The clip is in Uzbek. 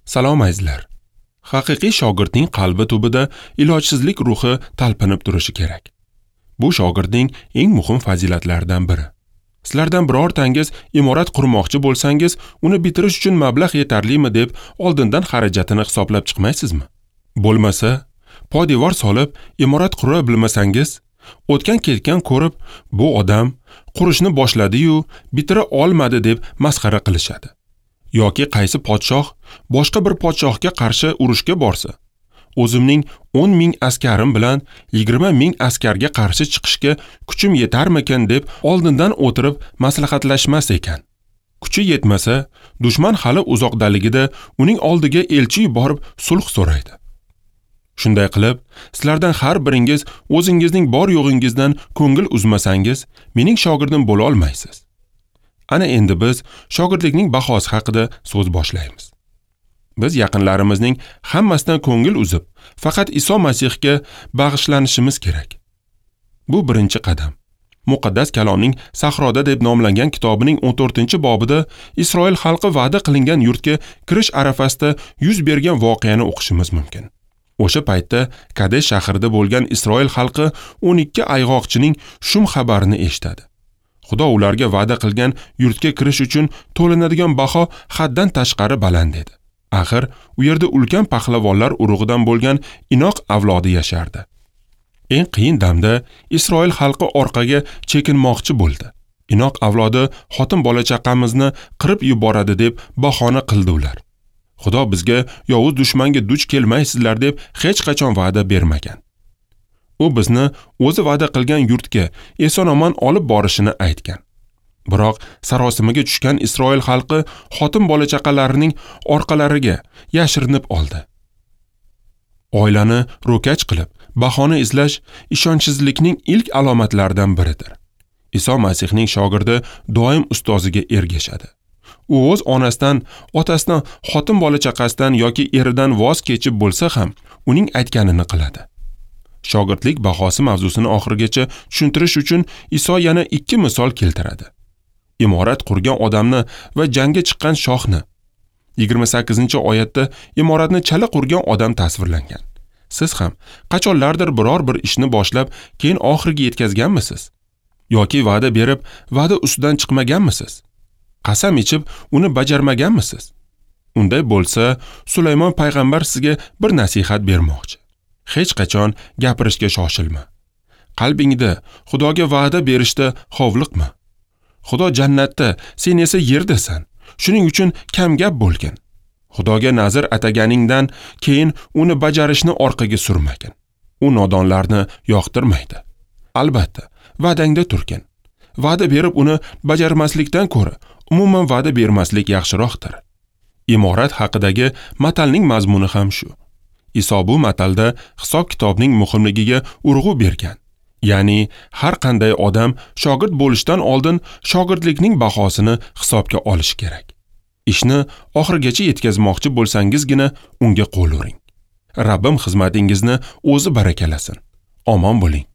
Salom azizlar. Haqiqiy shogirdning qalbi tubida ilojsizlik ruhi talpinib turishi kerak. Bu shogirdning eng muhim fazilatlaridan biri. Sizlardan birortangiz imorat qurmoqchi bo'lsangiz, uni bitirish uchun mablag' yetarlimi deb oldindan xarajatini hisoblab chiqmaysizmi? Bo'lmasa, poydevor solib imorat qura bilmasangiz, o'tgan ketgan ko'rib, bu odam qurishni boshladi-yu, bitira olmadi deb masxara qilishadi. Yoki qaysi podshoh boshqa bir podshohga qarshi urushga borsa, o'zimning 10 ming askarim bilan 20 ming askarga qarshi chiqishga kuchim yetarmikan deb oldindan o'tirib maslahatlashmas ekan. Kuchi yetmasa, dushman hali uzoqdaligida uning oldiga elchi yuborib sulh so'raydi. Shunday qilib, sizlardan har biringiz o'zingizning bor yo'g'ingizdan ko'ngil uzmasangiz, mening shogirdim bo'la olmaysiz. Ana endi biz shogirdlikning bahosi haqida so'z boshlaymiz. Biz yaqinlarimizning hammasidan ko'ngil uzib, faqat Iso Masihga bag'ishlanishimiz kerak. Bu birinchi qadam. Muqaddas Kalomning Sahroda deb nomlangan kitobining 14-bobida Isroil xalqi va'da qilingan yurtga kirish arafasida yuz bergan voqeani o'qishimiz mumkin. O'sha paytda Kadesh shahrida bo'lgan Isroil xalqi 12 ayg'oqchining shum xabarini eshitadi. Xudo ularga va'da qilgan yurtga kirish uchun to'lanadigan baho haddan tashqari baland edi. Axir u yerda ulkan pahlavonlar urug'idan bo'lgan Inoq avlodi yashardi. Eng qiyin damda Isroil xalqi orqaga chekinmoqchi bo'ldi. Inoq avlodi xotin bola chaqamizni qirib yuboradi deb bahona qildi ular. Xudo bizga yovuz dushmanga duch kelmaysizlar deb hech qachon va'da bermagan. U bizni o'zi va'da qilgan yurtga eson-omon olib borishini aytgan. Biroq sarosimaga tushgan Isroil xalqi xotin bola chaqalarining orqalariga yashirinib oldi. Oilani ro'kach qilib, bahona izlash ishonchsizlikning ilk alomatlaridan biridir. Iso Masihning shogirdi doim ustoziga ergashadi. U o'z onasidan, otasidan, xotin bola chaqasidan yoki eridan voz kechib bo'lsa ham uning aytganini qiladi. Shogirdlik bahosi mavzusini oxirigacha tushuntirish uchun Iso yana 2 misol keltiradi. Imorat qurgan odamni va jangga chiqqan shohni. 28-oyatda imoratni chala qurgan odam tasvirlangan. Siz ham qachonlardir biror bir ishni boshlab, keyin oxiriga yetkazganmisiz? Yoki va'da berib, va'da ustidan chiqmaganmisiz? Qasam ichib, uni bajarmaganmisiz? Unday bo'lsa, Sulaymon payg'ambar sizga bir nasihat bermoqchi. Hech qachon gapirishga shoshilma. Qalbingda Xudoga va'da berishda hovliqma. Xudo jannatda, sen esa yerdasan. Shuning uchun kam gap bo'lgin. Xudoga nazr ataganingdan keyin uni bajarishni orqaga surmagin. U nodonlarni yoqtirmaydi. Albatta, va'dangda turgin. Va'da berib uni bajarmaslikdan ko'ra, umuman va'da bermaslik yaxshiroqdir. Imorat haqidagi matalning mazmuni ham shu. Iso bu matalda hisob-kitobning muhimligiga urg'u bergan. Ya'ni har qanday odam shogird bo'lishdan oldin shogirdlikning bahosini hisobga olish kerak. Ishni oxirigacha yetkazmoqchi bo'lsangizgina unga qo'l uring. Rabbim xizmatingizni o'zi barakalasin. Omon bo'ling.